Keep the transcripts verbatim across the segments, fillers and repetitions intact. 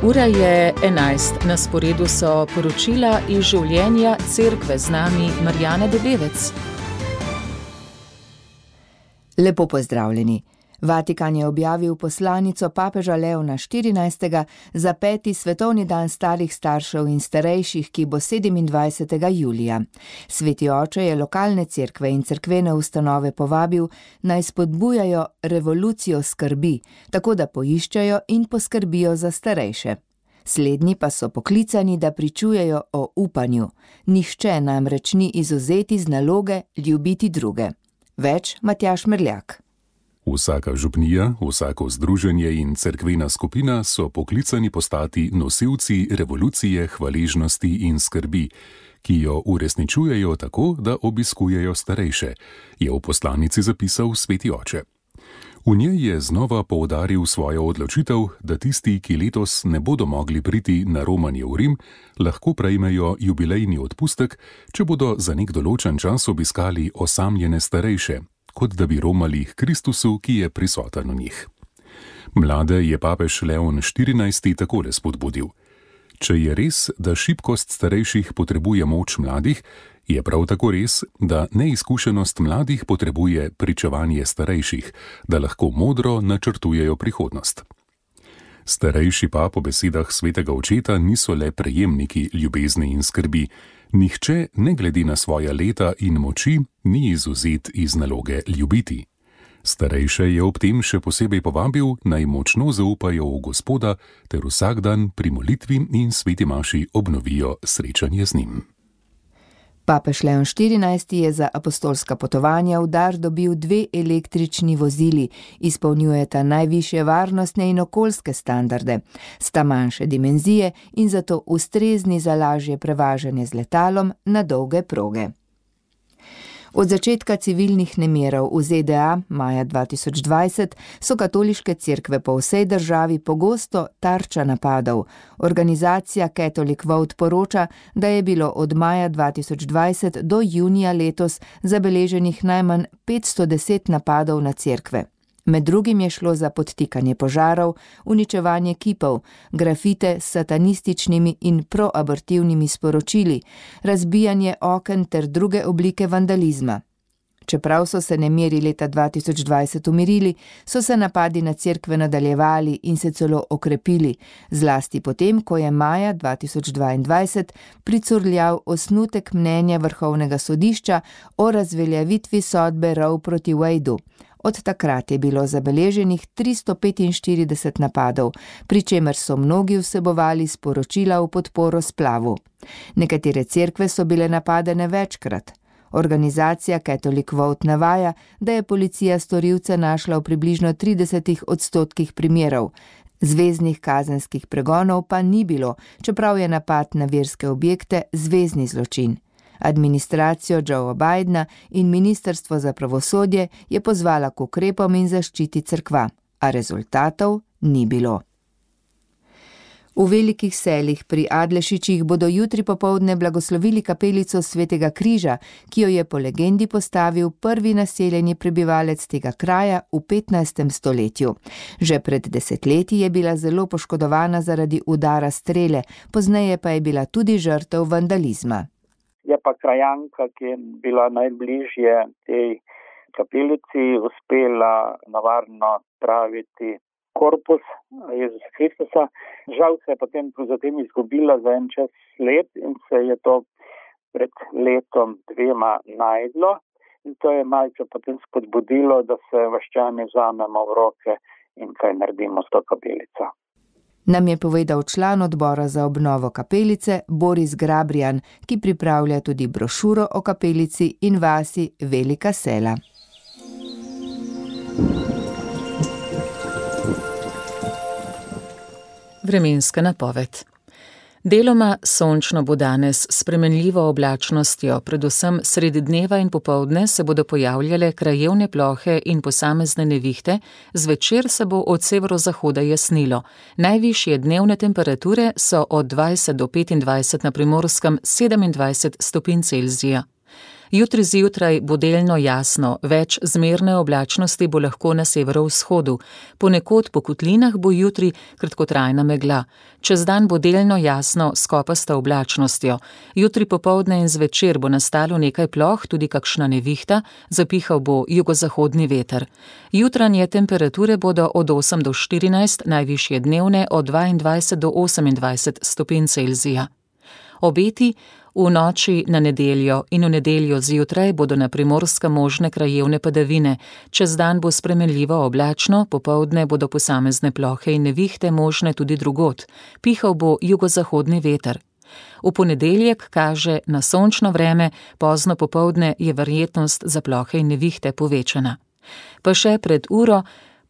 Ura je enajst, na sporedu so poročila iz življenja cerkve, z nami Marjana Debevec. Lepo pozdravljeni. Vatikan je objavil poslanico papeža Leona štirinajstega za peti svetovni dan starih staršev in starejših, ki bo sedemindvajsetega julija. Sveti oče je lokalne cerkve in cerkvene ustanove povabil, naj spodbujajo revolucijo skrbi, tako da poiščejo in poskrbijo za starejše. Slednji pa so poklicani, da pričujejo o upanju. Nihče namreč ni izvzeti z naloge ljubiti druge. Več Matjaž Merljak. Vsaka župnija, vsako združenje in cerkvena skupina so poklicani postati nosilci revolucije hvaležnosti in skrbi, ki jo uresničujejo tako, da obiskujejo starejše, je v poslanici zapisal sveti oče. V njej je znova poudaril svojo odločitev, da tisti, ki letos ne bodo mogli priti na romanje v Rim, lahko prejmejo jubilejni odpustek, če bodo za nek določen čas obiskali osamljene starejše, kot da bi romali k Kristusu, ki je prisoten v njih. Mlade je papež Leon štirinajsti takole spodbudil. Če je res, da šibkost starejših potrebuje moč mladih, je prav tako res, da neizkušenost mladih potrebuje pričevanje starejših, da lahko modro načrtujejo prihodnost. Starejši pa po besedah svetega očeta niso le prejemniki ljubezni in skrbi. Nihče, ne glede na svoja leta in moči, ni izvzet iz naloge ljubiti. Starejše je ob tem še posebej povabil, naj močno zaupajo v Gospoda ter vsak dan pri molitvi in sveti maši obnovijo srečanje z njim. Papež Leon štirinajsti je za apostolska potovanja v dar dobil dve električni vozili, izpolnjujeta najvišje varnostne in okoljske standarde, sta manjše dimenzije in zato ustrezni za lažje prevažanje z letalom na dolge proge. Od začetka civilnih nemirov v Z D A maja dva tisoč dvajset so katoliške cerkve po vsej državi pogosto tarča napadov. Organizacija Catholic Vote poroča, da je bilo od maja dva tisoč dvajset do junija letos zabeleženih najmanj petsto deset napadov na cerkve. Med drugim je šlo za podtikanje požarov, uničevanje kipov, grafite s satanističnimi in proabortivnimi sporočili, razbijanje oken ter druge oblike vandalizma. Čeprav so se nemiri leta dva tisoč dvajset umirili, so se napadi na cerkve nadaljevali in se celo okrepili, zlasti potem, ko je maja dva tisoč dvaindvajset pricurljal osnutek mnenja Vrhovnega sodišča o razveljavitvi sodbe Roe proti Wadeu. Od takrat je bilo zabeleženih tristo petinštirideset napadov, pri čemer so mnogi vsebovali sporočila v podporo splavu. Nekatere cerkve so bile napadene večkrat. Organizacija Catholic Vote navaja, da je policija storilce našla v približno tridesetih odstotkih primerov. Zveznih kazenskih pregonov pa ni bilo, čeprav je napad na verske objekte zvezni zločin. Administracijo Joea Bidena in Ministrstvo za pravosodje je pozvala k ukrepom in zaščiti cerkva, a rezultatov ni bilo. V Velikih Selih pri Adlešičih bodo jutri popoldne blagoslovili kapelico Svetega križa, ki jo je po legendi postavil prvi naseljeni prebivalec tega kraja v petnajstem stoletju. Že pred desetletji je bila zelo poškodovana zaradi udara strele, pozneje pa je bila tudi žrtev vandalizma. Je pa krajanka, ki je bila najbližje tej kapelici, uspela navarno praviti korpus Jezusa Kristusa. Žal se je potem zatem izgubila za en čas let in se je to pred letom dvema najdlo. In to je malce potem spodbudilo, da se vaščani vzamemo v roke in kaj naredimo s to kapelico. Nam je povedal član odbora za obnovo kapelice Boris Grabrijan, ki pripravlja tudi brošuro o kapelici in vasi Velika Sela. Vremenska napoved. Deloma sončno bo danes s spremenljivo oblačnostjo, predvsem sredi dneva in popoldne se bodo pojavljale krajevne plohe in posamezne nevihte, zvečer se bo od severozahoda jasnilo. Najvišje dnevne temperature so od dvajset do petindvajset na Primorskem, sedemindvajset stopinj Celzija. Jutri zjutraj bo delno jasno, več zmerne oblačnosti bo lahko na severovzhodu. Ponekod po kotlinah bo jutri kratkotrajna megla. Čez dan bo delno jasno s kopasta oblačnostjo. Jutri popoldne in zvečer bo nastalo nekaj ploh, tudi kakšna nevihta, zapihal bo jugozahodni veter. Jutranje temperature bodo od osem do štirinajst, najvišje dnevne od dvaindvajset do osemindvajset stopinj Celzija. Obeti: v noči na nedeljo in v nedeljo zjutraj bodo na Primorskem možne krajevne padavine. Čez dan bo spremenljivo oblačno, popoldne bodo posamezne plohe in nevihte možne tudi drugod. Pihal bo jugozahodni veter. V ponedeljek kaže na sončno vreme, pozno popoldne je verjetnost za plohe in nevihte povečana. Pa še pred uro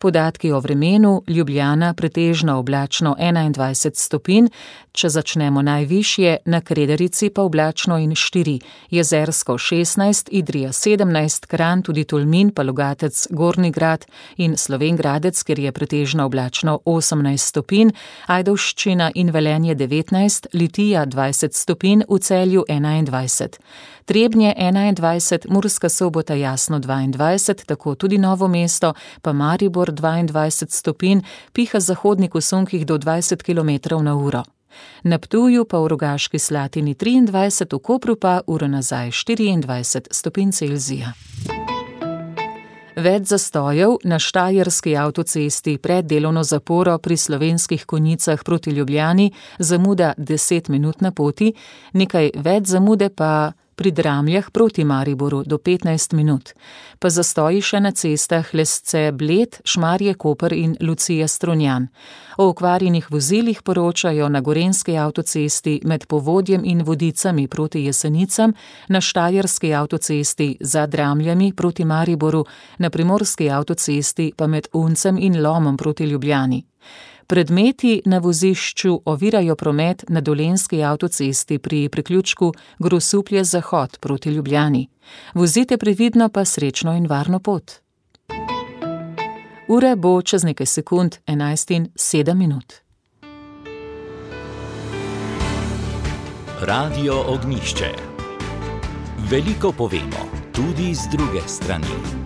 podatki o vremenu: Ljubljana pretežno oblačno enaindvajset stopinj, če začnemo najvišje, na Kredarici pa oblačno in štiri, Jezersko šestnajst, Idrija sedemnajst, Kranj, tudi Tolmin, pa Logatec, Gornji Grad in Slovenj Gradec, kjer je pretežno oblačno osemnajst stopinj, Ajdovščina in Velenje devetnajst, Litija dvajset stopinj, v Celju enaindvajset. Trebnje enaindvajset, Murska Sobota jasno dvaindvajset, tako tudi Novo mesto, pa Maribor dvaindvajset stopinj, piha zahodnik v sunkih do dvajset kilometrov na uro. Na Ptuju pa v Rogaški Slatini triindvajset, v Kopru pa uro nazaj štiriindvajset stopinj Celzija. Več zastojev na Štajerski avtocesti pred delovno zaporo pri Slovenskih Konjicah proti Ljubljani, zamuda deset minut na poti, nekaj več zamude pa pri Dramljah proti Mariboru do petnajst minut. Pa zastoji še na cestah Lesce-Bled, Šmarje-Koper in Lucija-Strunjan. O okvarjenih vozilih poročajo na Gorenjski avtocesti med Povodjem in Vodicami proti Jesenicam, na Štajerski avtocesti za Dramljami proti Mariboru, na Primorski avtocesti pa med Uncem in Lomom proti Ljubljani. Predmeti na vozišču ovirajo promet na Dolenjski avtocesti pri priključku Grosuplje-Zahod proti Ljubljani. Vozite previdno, pa srečno in varno pot. Ura bo čez nekaj sekund enajst in sedem minut. Radio Ognjišče. Veliko povemo, tudi z druge strani.